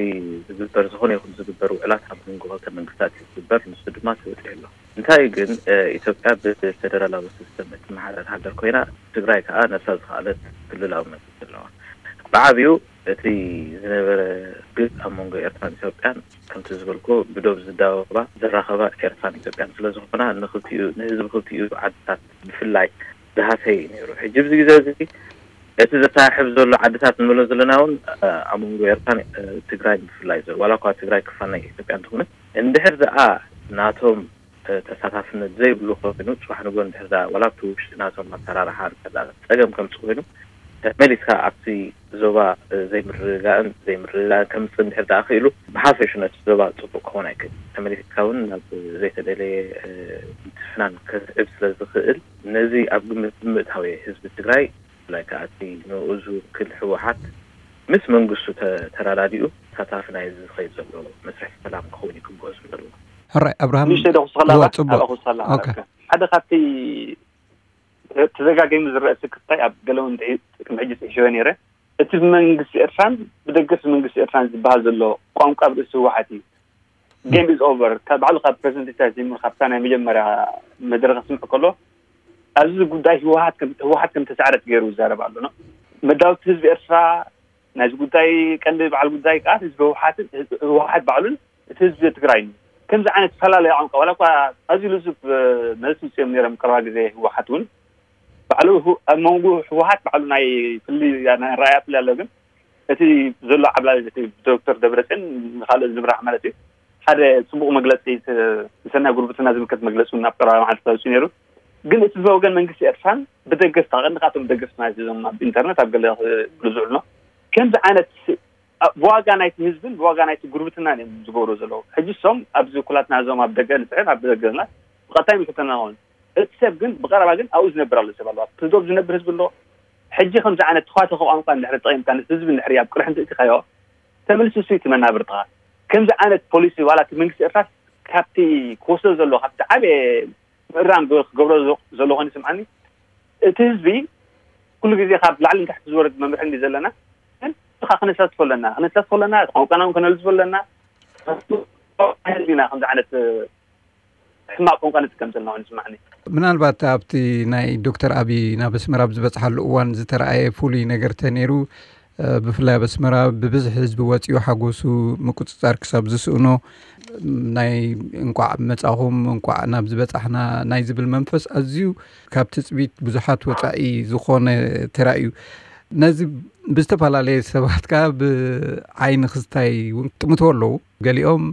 ዝግበር፣ ዝኾነ ይኹን ዝግበር ውዕላት ኣብ መንጎ ክልተ መንግስታት እዩ ዝግበር። ንሱ ድማ ተበጺሑ ኣሎ። እንታይ ግን፣ እ፣ ኢትዮጵያ ብፌደራላዊ ሲስተም እትመሓደር ሃገር ኮይና፣ ትግራይ ከኣ ነብሳ ዝኸኣለት ክልላዊ መንግስቲ ኣለዋ። ብዓቢኡ እቲ ዝነበረ ግጭት ኣብ መንጎ ኤርትራን ኢትዮጵያን ከምቲ ዝበልኩ ብዶብ ዝዳወባ ዝራኸባ ኤርትራን ኢትዮጵያን ስለ ዝኾና ንኽልቲኡ ንህዝቢ ክልቲኡ ዓድታት ብፍላይ ዝሃሰየ እዩ ነይሩ። ሕጂ ኣብዚ ግዜ እዚ እቲ ዘተሓሕዝ ዘሎ ዓድታት ንብሎ ዘለና እውን ኣብ መንጎ ኤርትራን ትግራይን ብፍላይ ዘሎ ዋላ እኳ ትግራይ ክፋል ናይ ኢትዮጵያ እንተኾነት እንድሕር ደኣ ናቶም ተሳታፍነት ዘይብሉ ኮይኑ ጽባሕ ንግሆ እንድሕር ደኣ ዋላ ኣብቲ ውሽጢ ናቶም ኣሰራርሓ እንድሕር ደኣ ጸገም ከምጽእ ኮይኑ ተመሊስካ ኣብቲ ዞባ ዘይምርግጋእን ዘይምርግጋእን ከምጽእ እንድሕር ደኣ ክኢሉ ብሓፈሹ ነቲ ዞባ ጽቡቕ ክኸውን ኣይክእል። ተመሊስካ እውን ናብ ዘይተደለየ ምትፍናን ከስዕብ ስለ ዝኽእል ነዚ ኣብ ግምት ብምእታው እየ ህዝቢ ትግራይ ብፍላይ ከኣ እቲ ንኡ ዝውክል ህወሓት ምስ መንግስቱ ተራዳዲኡ ተሳታፊ ናይዚ ዝኸይድ ዘሎ መስርሕ ሰላም ክኸውን ይግብኦ ዝብል ኣለኹ። ሕራይ ኣብርሃም። ንእሽተይ ዶ ክውስኸላ እዋ፣ ኣላ? ጽቡቕ። ኣላ ክውስኸላ ኣላ። ኦኬ። ሓደ ካብቲ ተደጋጋሚ ዝረአ ስክፍታይ ኣብ ገለ እውን ድዒ-፣ ቅድሚ ሕጂ ጽሒፈዮ ነይረ። እቲ ብመንግስቲ ኤርትራን ብደገፍ መንግስቲ ኤርትራን ዝበሃል ዘሎ ቋንቋ ኣብ ርእሲ ህወሓት እዩ። ጌም ኢዝ ኦቨር። ካብ ባዕሉ ካብ ፕረዚደንት ኢሳያስ ጀሚሩ ካብታ ናይ መጀመርያ መድረኽ ክስምዕ ከሎ ኣብዚ ጉዳይ ህወሓት ከም፣ ህወሓት ከም ተሳዕረት ገይሩ ይዛረብ ኣሎ። መዳውቲ ህዝቢ ኤርትራ ናይዚ ጉዳይ ቀንዲ በዓል ጉዳይ ከዓ ህዝቢ ህወሓትን፣ ህወሓት ባዕሉን እቲ ህዝቢ ትግራይን እዩ። ከምዚ ዓይነትፈላለየ ቋንቋ ዋላ እኳ ኣዝዩ ልዙብ መልሲ ውፅኦም ነይሮም ቀረባ ግዜ ህወሓት እውን ባዕሉ ኣብ መንጎ ህወሓት ባዕሉ ናይ ፍልይ ናይ ራእያ ፍልይ ኣሎ ግን እቲ ዘሎ ዓብላል እቲ ብዶክተር ደብረፅዮን ንካልኦት ዝምራሕ ማለት እዩ ሓደ ፅቡቕ መግለፂ ንሰናይ ጉርብትና ዝምልከት መግለፂ እውን ኣብ ቀረባ መዓልቲ ተውፅኡ ነይሩ። ግን እቲ ብወገን መንግስቲ ኤርትራን ብደገፍቲ ቀንዲ ካብቶም ደገፍቲ ማለት እዞም ኣብ ኢንተርነት ኣብ ገለ ዝብሉ ዝውዕሉ ከምዚ ዓይነት ብዋጋ ናይቲ ህዝብን ብዋጋ ናይቲ ጉርብትና እዮም ዝገብሩ ዘለዉ። ሕጂ እሶም ኣብዚ ኩላትና እዞም ኣብ ደገ ንፅዕር ኣብ ደገ ዘለና ብቐጥታ ይምልከተና ኸውን እቲ ሰብ ግን ብቐረባ ግን ኣብኡ ዝነብር ኣሎ ሰብ ኣለዋ። ብዶብ ዝነብር ህዝቢ ኣሎ፣ ሕጂ ከምዚ ዓይነት ተኳተኸ ቋንቋ እንድሕር ተጠቂምካ፣ ነቲ ህዝቢ እንድሕር ኣብ ቅርሒ እንተእቲኻዮ፣ ተመልሱ እሱ እቲ መናብርትኻ። ከምዚ ዓይነት ፖሊሲ ዋላ እቲ መንግስቲ ኤርትራ ካብቲ ክወስዶ ዘሎ፣ ካብቲ ዓበየ ምእራም ክገብሮ ዘሎ ኮይኑ ይስምዓኒ። እቲ ህዝቢ ኩሉ ግዜ ካብ ላዕሊ ንታሕቲ ዝወርድ መምርሒ እንዲ ዘለና፣ ግን ንስኻ ክነሳትፎ ኣለና፣ ክነሳትፎ ኣለና፣ ቋንቋና እውን ከነልዝፎ ኣለና። ህዝቢና ከምዚ ዓይነት ሕማቕ ቋንቋ ንጥቀም ዘለና ኮይኑ ይስምዓኒ። ምናልባት ኣብቲ ናይ ዶክተር ኣቢ ናብ ኣስመራ ኣብ ዝበጽሓሉ እዋን ዝተረኣየ ፍሉይ ነገር ተነይሩ፣ እ፣ ብፍላይ ኣብ ኣስመራ ብብዝሒ ህዝቢ ወጺኡ ሓጎሱ ምቁጽጻር ክሳብ ዝስእኖ፣ ናይ እንቋዕ መጻኹም፣ እንቋዕ ናብ ዝበጻሕና ናይ ዝብል መንፈስ ኣዝዩ ካብ ትጽቢት ብዙሓት ወጻኢ ዝኾነ ተራእዩ። ነዚ ብዝተፈላለየ ሰባት ከኣ ብዓይኒ ክስታይ እውን ጥምቶ ኣለዉ። ገሊኦም፣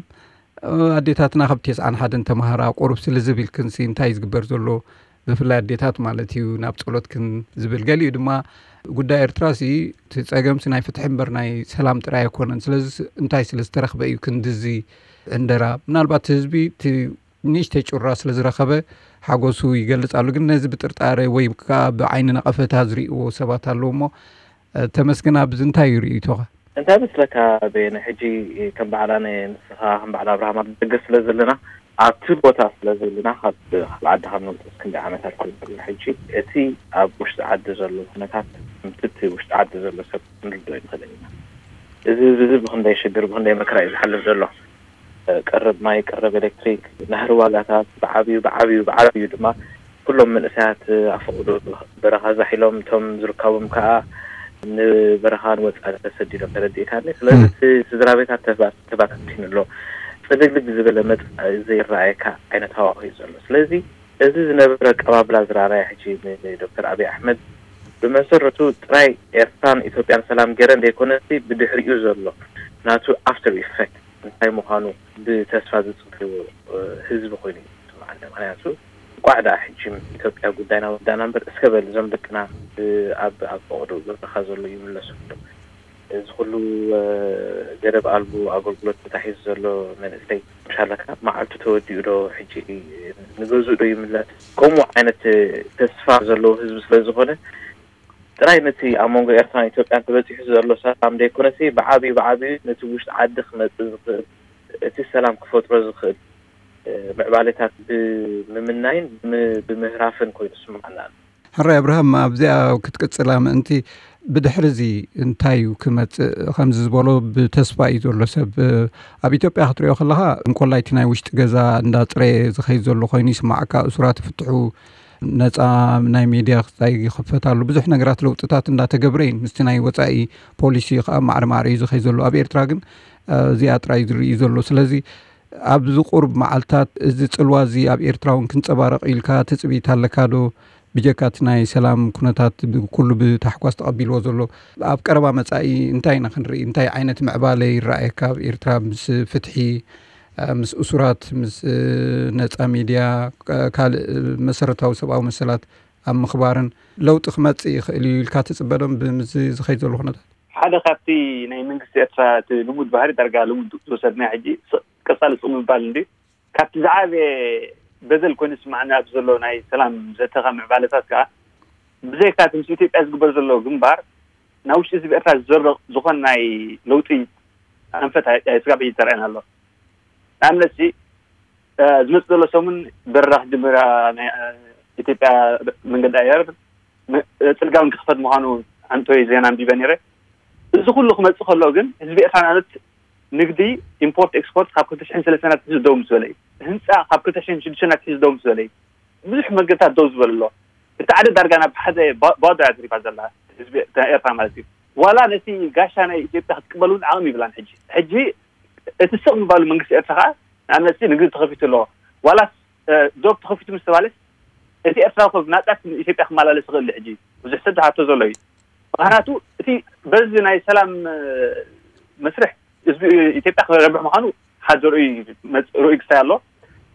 እ፣ ኣዴታትና ካብ ተስዓን ሓደን ተማሃራ ቁሩብ ስሊ ዝብል ክንሲ እንታይ እዩ ዝግበር ዘሎ? ብፍላይ ኣዴታት ማለት እዩ፣ ናብ ጸሎት ክን ዝብል። ገሊኡ ድማ ጉዳይ ኤርትራሲ እቲ ጸገምሲ ናይ ፍትሒ እምበር ናይ ሰላም ጥራይ ኣይኮነን። ስለዚ እንታይ ስለ ዝተረኽበ እዩ ክንድዚ ዕንደራ? ምናልባት ህዝቢ እቲ ንእሽተይ ጩራ ስለ ዝረኸበ ሓጎሱ ይገልጽ ኣሎ። ግን ነዚ ብጥርጣረ ወይ ከኣ ብዓይኒ ነቐፈታ ዝርእይዎ ሰባት ኣለዉ እሞ፣ እ፣ ተመስገን፣ ኣብዚ እንታይ እዩ ርእይቶኻ? እንታይ መስለካ በየነ፣ ሕጂ ከም በዓል ኣነ፣ ንስኻ ከም በዓል ኣብርሃም ኣብ ደገ ስለ ዘለና፣ ኣብቲ ቦታ ስለ ዘለና፣ ካብ፣ ካብ ዓዲ ካብ ንወፅእ ክንደይ ዓመታት ኮይኑ ኣሎ። ሕጂ እቲ ኣብ ውሽጢ ዓዲ ዘሎ ኩነታት፣ ከምቲ እቲ ውሽጢ ዓዲ ዘሎ ሰብ ክንርድኦ ይንኽእል ኢና። እዚ ህዝቢ እዚ ብኽንደይ ሽግር፣ ብኽንደይ መከራ እዩ ዝሓልፍ ዘሎ። ቀረብ ማይ፣ ቀረብ ኤሌክትሪክ፣ ናህሪ ዋጋታት ብዓብዩ፣ ብዓብዩ፣ ብዓብዩ ድማ ኩሎም መንእሰያት ኣፈቕዶ በረኻ ዛሒሎም፣ እቶም ዝርከቦም ከዓ ንበረኻ ንወፃኢ ተሰዲዶም፣ ተረዲእካኒ። ስለዚ እቲ ስድራ ቤታት ተባ-፣ ተባታቲኑ ኣሎ። ፅልግልግ ዝበለ መፃኢ ዘይረኣየካ ዓይነት ሃዋሁ እዩ ዘሎ። ስለዚ እዚ ዝነበረ ኣቀባብላ ዝረኣናዮ ሕጂ ንዶክተር ኣብይ ኣሕመድ ብመሰረቱ ጥራይ ኤርትራን ኢትዮጵያን ሰላም ገይረን ዘይኮነሲ ብድሕሪኡ ዘሎ ናቱ ኣፍተር ኢፌክት እንታይ ምዃኑ ብተስፋ ዝጽበዮ፣ እ፣ ህዝቢ ኮይኑ እዩ ዝስምዓኒ። ምኽንያቱ እንቋዕ ደኣ ሕጂ ኢትዮጵያ ጉዳይና ወዳና እምበር፣ እስከ በል እዞም ደቅና፣ እ፣ ኣብ፣ ኣብ ፈቐዶ በረኻ ዘሎ ይምለሱ። እዚ ኩሉ፣ እ፣ ገደብ ኣልቦ ኣገልግሎት ተታሒዙ ዘሎ መንእሰይ፣ ምሻለካ መዓልቱ ተወዲኡ ዶ፣ ሕጂ ንገዝኡ ዶ ይምለስ? ከምኡ ዓይነት ተስፋ ዘለዎ ህዝቢ ስለ ዝኾነ፣ ጥራይ ነቲ ኣብ መንጎ ኤርትራን ኢትዮጵያን ተበጺሑ ዘሎ ሰላም ዘይኮነሲ፣ ብዓብዩ፣ ብዓብዩ ነቲ ውሽጢ ዓዲ ክመጽእ ዝኽእል፣ እቲ ሰላም ክፈጥሮ ዝኽእል፣ እ፣ ምዕባሌታት ብምምናይን ብም-፣ ብምህራፍን ኮይኑ ይስምዓና ኣሎ። ሕራይ ኣብርሃም፣ ኣብዚኣ ክትቅጽላ ምእንቲ፣ ብድሕሪ እዚ እንታይ እዩ ክመጽእ? ከምዚ ዝበሎ ብተስፋ እዩ ዘሎ ሰብ። ኣብ ኢትዮጵያ ክትሪኦ ከለኻ፣ እንኮላይ እቲ ናይ ውሽጢ ገዛ እንዳጽረየ ዝኸይድ ዘሎ ኮይኑ ይስማዓካ። እሱራት ይፍትሑ፣ ነጻ ናይ ሜድያ ክስታይ ይኽፈት ኣሎ። ብዙሕ ነገራት ለውጥታት እንዳተገብረ እዩ። ምስቲ ናይ ወጻኢ ፖሊሲ ከዓ ማዕረ ማዕረ እዩ ዝኸይድ ዘሎ። ኣብ ኤርትራ ግን፣ እ፣ እዚኣ ጥራይ ዝርኢ ዘሎ። ስለዚ ኣብዚ ቁሩብ መዓልታት እዚ ጽልዋ እዚ ኣብ ኤርትራ እውን ክንጸባረቕ ኢልካ ትጽቢት ኣለካ ዶ? ብጀካ እቲ ናይ ሰላም ኩነታት ብ-፣ ኩሉ ብታሕጓስ ተቐቢልዎ ዘሎ፣ ኣብ ቀረባ መጻኢ እንታይ ኢና ክንርኢ? እንታይ ዓይነት ምዕባለ ይረኣየካ ኣብ ኤርትራ ምስ ፍትሒ፣ እ፣ ምስ እሱራት፣ ምስ፣ እ፣ ነጻ ሚድያ፣ እ፣ ካልእ መሰረታዊ ሰብኣዊ መሰላት ኣብ ምኽባርን ለውጢ ክመጽእ ይኽእል እዩ ኢልካ ትጽበ ዶ? ብምዚ ዝኸይድ ዘሎ ኩነታት ሓደ ካብቲ ናይ መንግስቲ ኤርትራ እቲ ልሙድ ባህሪ፣ ዳርጋ ልሙድ ዝወሰድናዮ ሕጂ፣ ስቕ ቀጻሊ ስቕ ምባል እንድዩ። ካብቲ ዝዓበየ በደል ኮይኑ ዝስማዓኒ ኣብዚ ዘሎ ናይ ሰላም ዘተኻ ምዕባለታት ከኣ፣ ብዘይካ እቲ ምስ ኢትዮጵያ ዝግበር ዘሎ ግንባር፣ ናብ ውሽጢ ህዝቢ ኤርትራ ዝዘርቕ ዝኾነ ናይ ለውጢ ኣንፈት ኣይ-፣ ኣይ-፣ ስጋብ ሕጂ ተረኣየና ኣሎ። ንኣብነት ሲ፣ እ፣ ዝመጽእ ዘሎ ሰሙን በረራ ክጅምር፣ እ፣ ናይ፣ እ፣ ኢትዮጵያ መንገዲ ኣየር፣ መ-፣ እ፣ ጽርግያ እውን ክኽፈት ምዃኑ ኣንቶይ ዜና ኣንቢበ ነይረ። እዚ ኩሉ ክመጽእ ከሎ ግን ህዝቢ ኤርትራ ንኣብነት ንግዲ ኢምፖርት ኤክስፖርት ካብ ክልተ ሽሕን ሰለስተን ኣትሒዙ ደው ምስ በለ እዩ። ህንጻ ካብ ክልተ ሽሕን ሽዱሽተን ኣትሒዙ ደው ምስ በለ እዩ። ብዙሕ መገድታት ደው ዝበለ ኣሎ። እቲ ዓዲ ዳርጋ ናብ ሓደ ባ-፣ ባዶ እያ ተሪፋ ዘላ፣ ህዝቢ ኤርትራ ማለት እዩ። ዋላ ነቲ ጋሻ ናይ ኢትዮጵያ ክትቅበል እውን ዓቕሚ ይብላን። ሕጂ፣ ሕጂ እቲ ስቕ ምባሉ መንግስቲ ኤርትራ ከኣ ንኣብነት ንግዲ ተኸፊቱ ኣሎ። ዋላስ፣ እ፣ ዶብ ተኸፊቱ ምስ ተባለስ እቲ ኤርትራ እኮ ብናጻ ኢትዮጵያ ክመላለስ ይኽእል እዩ። ሕጂ ብዙሕ ሰብ ዝሓቶ ዘሎ እዩ። ምኽንያቱ እቲ በዚ ናይ ሰላም፣ እ፣ መስርሕ ህዝቢ ኢትዮጵያ ክረብሕ ምዃኑ ሓደ ርኡይ መጽ-፣ ርኡይ ክስታይ ኣሎ።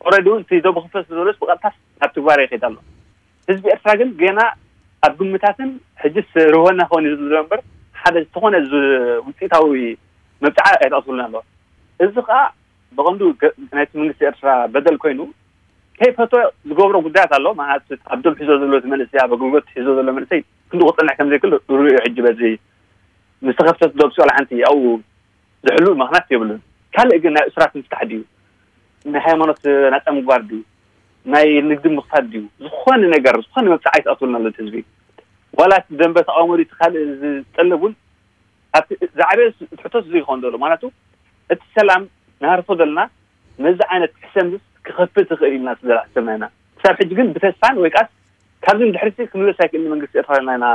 ኦልሬዲ እውን እቲ ዶብ ክፍለስ ዘሎስ ብቐጥታ ናብ ትግባረ ይኸይድ ኣሎ። ህዝቢ ኤርትራ ግን ገና ኣብ ግምታትን ሕጅስ ርህወና ክኸውን እዩ ዝብሎ እምበር ሓደ ዝኾነ ዝ-፣ ውጽኢታዊ መብጽዓ ኣይጠቕስሉን ኣሎ። እዚ ኸኣ ብቐንዱ ገ-፣ ናይቲ መንግስቲ ኤርትራ በደል ኮይኑ ከይፈትወ ዝገብሮ ጉዳያት ኣሎ። ማለት ኣብ ዶብ ሒዞ ዘሎ እቲ መንእሰይ፣ ኣብ ኣገልግሎት ሒዞ ዘሎ መንእሰይ ክንዲ ክጸንሕ ከም ዘይክእል ርኡ ሕጂ በዚ ምስ ተኸፍተት ዶብ ስለ ሓንቲ ኣብኡ ዝሕሉ ምኽንያት የብሉን። ካልእ ግን ናይ እሱራት ምፍታሕ ድዩ፣ ናይ ሃይማኖት ናጻ ምግባር ድዩ፣ ናይ ንግዲ ምኽፋት ድዩ፣ ዝኾነ ነገር ዝኾነ መብፅዓ ኣይትኣትወልና ኣሎ ህዝቢ። ዋላ እቲ ደንበ ተቃውሞ ድዩ ካልእ ዝጠለብ እውን ኣብቲ ዝዓበየ ትሕቶስ ዝይኮን ዘሎ ማለቱ እቲ ሰላም ንሃርፎ ዘለና ነዚ ዓይነት ሕሰምስ ክኸፍት ትኽእል ኢልና ስለዝሓሰብና ኢና። ክሳብ ሕጂ ግን ብተስፋን ወይ ቃስ ካብዚ ንድሕሪት ክምለስ ኣይክእል መንግስቲ ኤርትራ ኢልና ኢና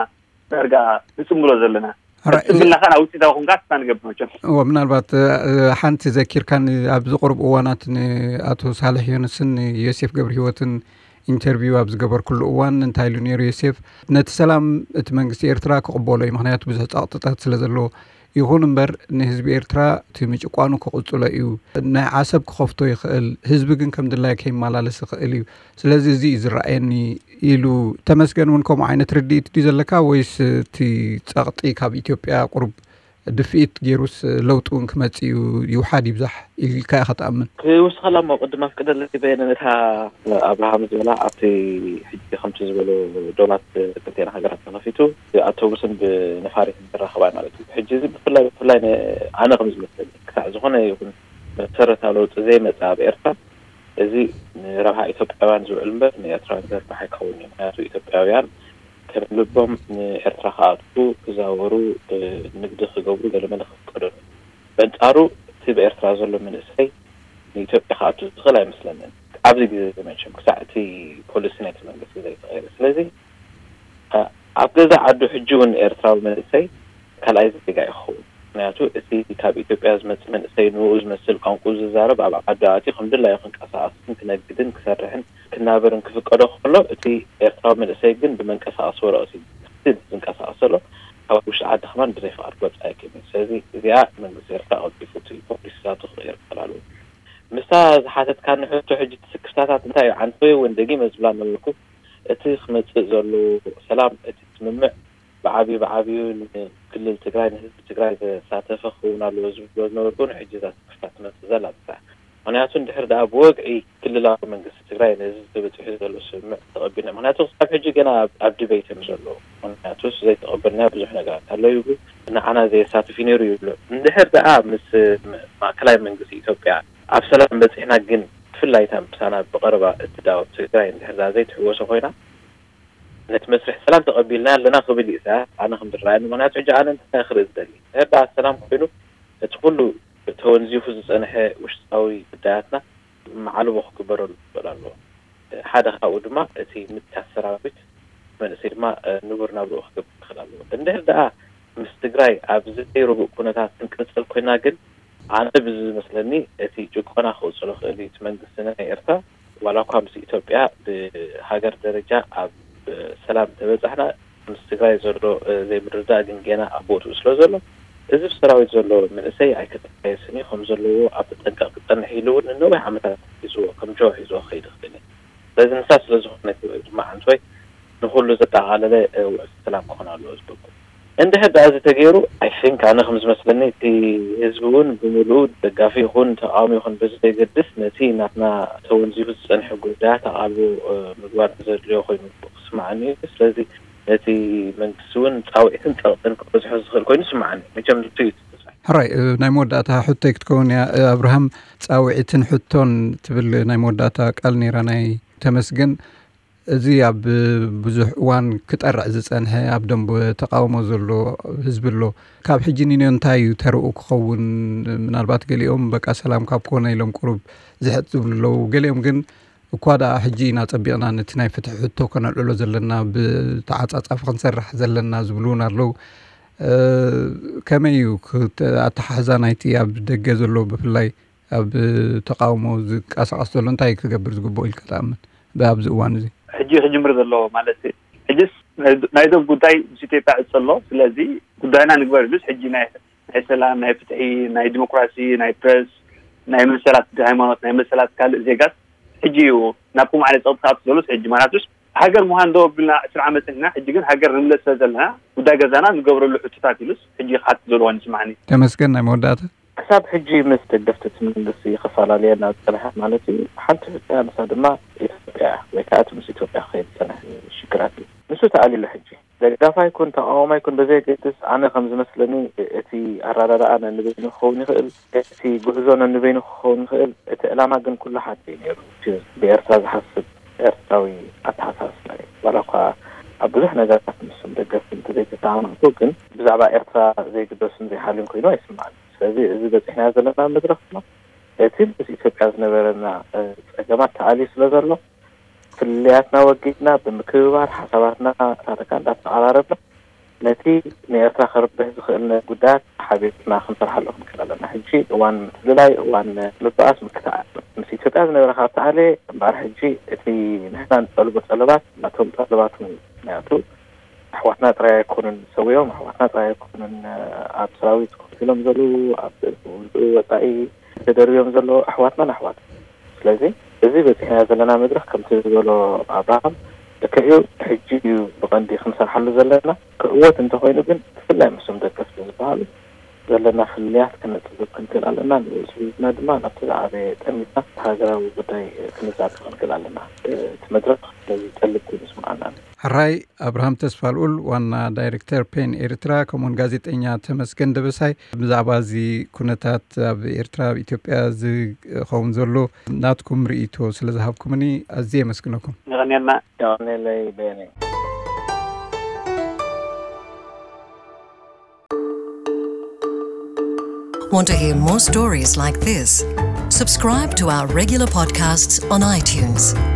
ዳርጋ ንጽምብሎ ዘለና። ሕራይ፣ እዚ ጽምብልና ከኣ ውጽኢታዊ ክንካ ተስፋ ንገብር መቸም። እዎ፣ ምናልባት፣ እ፣ ሓንቲ ዘኪርካኒ፣ ኣብዚ ቁሩብ እዋናት ንኣቶ ሳልሕ ዮንስን ዮሴፍ ገብረ ህይወትን ኢንተርቪው ኣብ ዝገበርኩሉ እዋን እንታይ ኢሉ ነይሩ ዮሴፍ? ነቲ ሰላም እቲ መንግስቲ ኤርትራ ክቕበሎ እዩ፣ ምኽንያቱ ብዙሕ ጸቕጥታት ስለ ዘለዎ። ይኹን እምበር ንህዝቢ ኤርትራ እቲ ምጭቋኑ ክቕጽሎ እዩ። ናይ ዓሰብ ክኸፍቶ ይኽእል፣ ህዝቢ ግን ከም ድላይ ከይመላለስ ይኽእል እዩ። ስለዚ እዚ እዩ ዝረኣየኒ ኢሉ። ተመስገን እውን ከምኡ ዓይነት ርድኢት ድዩ ዘለካ ወይስ እቲ ጸቕጢ ካብ ኢትዮጵያ ቁሩብ ድፍኢት ገይሩስ ለውጢ እውን ክመጽእ እዩ፣ ይውሓድ ይብዛሕ ኢልካ ኢኻ ትኣምን? ክውስኸላ እሞ ቅድም ኣፍቅደለይ በየነ ነታ ኣብርሃም ዝበላ ኣብቲ ሕጂ ከምቲ ዝበሎ ዶባት ክልቴና ሃገራት ተኸፊቱ ብኣውቶቡስን ብነፋሪትን ዝራኸባ ማለት እዩ። ሕጂ እዚ ብፍላይ ብፍላይ ነ-፣ ኣነ ከም ዝመስለኒ ክሳዕ ዝኾነ ይኹን መሰረታዊ ለውጢ ዘይመጽእ ኣብ ኤርትራ እዚ ንረብሓ ኢትዮጵያውያን ዝውዕል እምበር ንኤርትራውያን ዘርባሕ ኣይከውን እዩ። ምክንያቱ ኢትዮጵያውያን ከም ልቦም ንኤርትራ ክኣትዉ፣ ክዛወሩ፣ እ፣ ንግዲ ክገብሩ ገለመለ ክፍቀዶም እዩ። በንጻሩ እቲ ብኤርትራ ዘሎ መንእሰይ ንኢትዮጵያ ክኣቱ ዝኽእል ኣይመስለንን። ኣብዚ ግዜ እዚ መቸም ክሳዕ እቲ ፖሊሲ ናይቲ መንግስቲ ዘይተቐየረ። ስለዚ፣ እ፣ ኣብ ገዛ ዓዱ ሕጂ እውን ኤርትራዊ መንእሰይ ካልኣይ ዜጋ ይኸውን። ምክንያቱ እቲ ካብ ኢትዮጵያ ዝመጽእ መንእሰይ ንኡ ዝመስል ቋንቋ ዝዛረብ ኣብ ዓዱ ኣትዩ ከም ድላዩ ክንቀሳቐስን ክነግድን ክሰርሕን ክናበርን ክፍቀዶ ከሎ፣ እቲ ኤርትራዊ መንእሰይ ግን ብመንቀሳቐሲ ወረቐት እዩ ዝንቀሳቐስ ዘሎ። ካብ ውሽጢ ዓዲ ከማን ብዘይ ፍቓድ ክወጽእ ኣይክእልን እዩ። ስለዚ እዚኣ መንግስቲ ኤርትራ ቀልጢፉ እቲ ፖሊሲታቱ ክቕይር ክኽእል ኣለዎ። ምስታ ዝሓተትካኒ ሕቶ ሕጂ እቲ ስክፍታታት እንታይ እዩ? ዓንተወይ እውን ደጊመ ዝብላ ነበርኩ። እቲ ክመጽእ ዘሎ ሰላም፣ እቲ ስምምዕ ብዓብዩ ብዓብዩ ንክልል ትግራይ ንህዝቢ ትግራይ ዘሳተፈ ክኸውን ኣለዎ ዝብሎ ዝነበርኩ እውን ሕጂ እዛ ስክፍታ ትመጽእ ዘላ ጥራሕ። ምክንያቱ እንድሕር ደኣ ብወግዒ ክልላዊ መንግስቲ ትግራይ ነዚ ተበጺሑ ዘሎ ስምምዕ ተቐቢልና፣ ምክንያቱ ክሳብ ሕጂ ገና ኣብ፣ ኣብ ዲቤት እዮም ዘለዉ። ምክንያቱ ዘይተቐበልናዮ ብዙሕ ነገራት ኣሎ ይብሉ፣ ንዓና ዘየሳትፍ እዩ ነይሩ ይብሉ። እንድሕር ደኣ ምስ ማእከላይ መንግስቲ ኢትዮጵያ ኣብ ሰላም በጺሕና ግን ብፍላይ እታ ምሳና ብቐረባ እትዳወብ ትግራይ እንድሕር ደኣ ዘይትሕወሶ ኮይና ነቲ መስርሕ ሰላም ተቐቢልና ኣለና ክብል እዩ ኢሳያስ። ኣነ ከም ዝረኣየኒ፣ ምክንያቱ ሕጂ ኣነ እንታይ ክርኢ ዝደሊ? እንድሕር ደኣ ሰላም ኮይኑ እቲ ኩሉ ተወንዚፉ ዝጸንሐ ውሽጣዊ ጉዳያትና መዓልቦ ክግበረሉ ክኽእል ኣለዎ። ሓደ ካብኡ ድማ እቲ ምትካስ ሰራዊት መንእሰይ ድማ፣ እ፣ ንቡር ናብርኡ ክገብር ክኽእል ኣለዎ። እንድሕር ደኣ ምስ ትግራይ ኣብ ዘይርቡእ ኩነታት ክንቅጽል ኮይና ግን ኣነ ብዝመስለኒ እቲ ጭቆና ክቕጽሎ ክእል እዩ። እቲ መንግስቲ ናይ ኤርትራ ዋላ እኳ ምስ ኢትዮጵያ ብሃገር ደረጃ ኣብ ሰላም ተበጻሕና፣ ምስ ትግራይ ዘሎ፣ እ፣ ዘይምርድዳእ ግን ገና ኣብ ቦትኡ ስለ ዘሎ፣ እዚ ብሰራዊት ዘሎ መንእሰይ ኣይክተሓየስን እዩ፣ ከም ዘለዎ ኣብ ተጠንቀቕ ክጸንሕ ኢሉ እውን ንነዊሕ ዓመታት ሒዝዎ፣ ከም ጆ ሒዝዎ ክኸይድ ይኽእል እዩ። ስለዚ ንሳ ስለ ዝኾነት እዩ ድማ ዓንቶይ ንኹሉ ዘጠቓለለ፣ እ፣ ውዕል ሰላም ክኾን ኣለዎ ዝብልኩ። እንድሕር ደኣ እዚ ተገይሩ፣ I think ኣነ ከም ዝመስለኒ እቲ ህዝቢ እውን ብምሉኡ ደጋፊ ይኹን ተቃዋሚ ይኹን በዚ ዘይገድስ ነቲ ናትና ተወንዚፉ ዝጸንሐ ጉዳያት ኣቓልቦ፣ እ፣ ምግባር ዘድልዮ ኮይኑ ክስምዓኒ እዩ። ስለዚ ነቲ መንግስቲ እውን ጻውዒትን ጸቕጥን ክበዝሖ ዝኽእል ኮይኑ ይስምዓኒ። መቸም ንሱ እዩ እቲ ተስፋይ። ሕራይ፣ እ፣ ናይ መወዳእታ ሕቶይ ክትከውን እያ። እ፣ ኣብርሃም፣ ጻውዒትን ሕቶን ትብል ናይ መወዳእታ ቃል ነይራ ናይ ተመስገን። እዚ ኣብ ብዙሕ እዋን ክጠርዕ ዝጸንሐ ኣብ ደንበ ተቃውሞ ዘሎ ህዝቢ ኣሎ። ካብ ሕጂ ንንዮ እንታይ እዩ ተርኡ ክኸውን? ምናልባት ገሊኦም በቃ ሰላም ካብ ኮነ ኢሎም ቁሩብ ዝሕጥ ዝብሉ ኣለዉ። ገሊኦም ግን እኳ ደኣ ሕጂ ኢና ጸቢቕና ነቲ ናይ ፍትሒ ሕቶ ከነልዕሎ ዘለና፣ ብተዓጻጻፊ ክንሰርሕ ዘለና ዝብሉ እውን ኣለዉ። እ፣ ከመይ እዩ ክተ-፣ ኣተሓሕዛ ናይቲ ኣብ ደገ ዘሎ ብፍላይ ኣብ ተቃውሞ ዝንቀሳቐስ ዘሎ እንታይ ክገብር ዝግብኦ ኢልካ ትኣምን? ብኣብዚ እዋን እዚ ሕጂ ክጅምር ዘለዎ ማለት ሕጅስ ናይ፣ ናይ ዶብ ጉዳይ ምስ ኢትዮጵያ ዕጽ ኣሎ። ስለዚ ጉዳይና ንግበር ኢሉስ ሕጂ ናይ፣ ናይ ሰላም፣ ናይ ፍትሒ፣ ናይ ዲሞክራሲ፣ ናይ ፕረስ፣ ናይ መሰላት ሃይማኖት፣ ናይ መሰላት ካልእ ዜጋት ሕጂ እዩ ናብ ከምኡ ዓይነት ጸቕጢ ክኣቱ ዘሎስ ሕጂ ማለትስ ሃገር ምዃን ደው ኣቢልና ዕስራ ዓመት ጸኒሕና፣ ሕጂ ግን ሃገር ንምለስ ስለ ዘለና ጉዳይ ገዛና ንገብረሉ ሕቶታት ኢሉስ ሕጂ ክሓትት ዘለዎ ይስምዓኒ። ተመስገን፣ ናይ መወዳእታ። ክሳብ ሕጂ ምስ ደገፍቲ እቲ መንግስቲ ክፈላለየና ዝጸንሐ ማለት እዩ። ሓንቲ ሕቶ እያ፣ ንሳ ድማ ኢትዮጵያ ወይ ከዓ እቲ ምስ ኢትዮጵያ ክኸይድ ዝጸንሐ ሽግራት እዩ። ንሱ ተኣልዩ ኣሎ ሕጂ። ደጋፋይ ይኩን ተቃዋማይ ይኩን ብዘየገድስ፣ ኣነ ከም ዝመስለኒ እቲ ኣረዳድኣ ነንበይኑ ክኸውን ይኽእል፣ እቲ ጉዕዞ ነንበይኑ ክኸውን ይኽእል። እቲ ዕላማ ግን ኩሉ ሓደ እዩ ነይሩ። እቲ ብኤርትራ ዝሓስብ ኤርትራዊ ኣተሓሳስባ እዩ። ዋላ እኳ ኣብ ብዙሕ ነገራት ምስም ደገፍቲ እንተዘይተሰማማዕኩ፣ ግን ብዛዕባ ኤርትራ ዘይግደስን ዘይሓልዩን ኮይኑ ኣይስምዓኒ። ስለዚ እዚ በፂሕናዮ ዘለና መድረኽ ድማ እቲ ምስ ኢትዮጵያ ዝነበረና እ፣ ፀገማት ተኣልዩ ስለ ዘሎ፣ ፍልልያትና ወጊድና ብምክብባር ሓሳባትና ዳርጋ እንዳተቐራረብና ነቲ ንኤርትራ ከርብሕ ዝኽእል ነ- ጉዳያት ሓቢርና ክንሰርሓሉ ክንክእል ኣለና። ሕጂ እዋን ምፍልላይ፣ እዋን ምብኣስ፣ ምክትኣል ምስ ኢትዮጵያ ዝነበረ ካብ ተኣልየ እምበኣር፣ ሕጂ እቲ ንሕና ንጠልቦ ጠለባት ናቶም ጠለባት እውን ናያቱ ኣሕዋትና ጥራይ ኣይኮኑን ሰውዮም፣ ኣሕዋትና ጥራይ ኣይኮኑን ኣብ ሰራዊት ኮፍ ኢሎም ዘለዉ፣ ኣብ ውፅኡ ወፃኢ ተደርብዮም ዘለዉ ኣሕዋትናን ኣሕዋት። ስለዚ እዚ በፂሕና ዘለና መድረኽ ከምቲ ዝበሎ ኣብርሃም ልክዕ እዩ። ሕጂ እዩ ብቐንዲ ክንሰርሓሉ ዘለና። ክዕወት እንተኾይኑ ግን ብፍላይ ምስም ደገፍቲ ዝበሃሉ ዘለና ፍልልያት ክነፅብብ ክንክእል ኣለና። ንርእሱ ሂዝና ድማ ናብቲ ዝዓበየ ጠሚትና ሃገራዊ ጉዳይ ክንዛተፍ ክንክእል ኣለና። እቲ መድረኽ ስለዚ ጠልብ ኮይኑ ይስምዓና። ሕራይ። ኣብርሃም ተስፋልኡል ዋና ዳይሬክተር ፔን ኤርትራ፣ ከምኡውን ጋዜጠኛ ተመስገን ደበሳይ፣ ብዛዕባ እዚ ኩነታት ኣብ ኤርትራ፣ ኣብ ኢትዮጵያ ዝኸውን ዘሎ ናትኩም ርእይቶ ስለ ዝሃብኩምኒ ኣዝየ የመስግነኩም። ንቐንየልና። ያኔ ላይ በኔ Want to hear more stories like this? Subscribe to our regular podcasts on iTunes.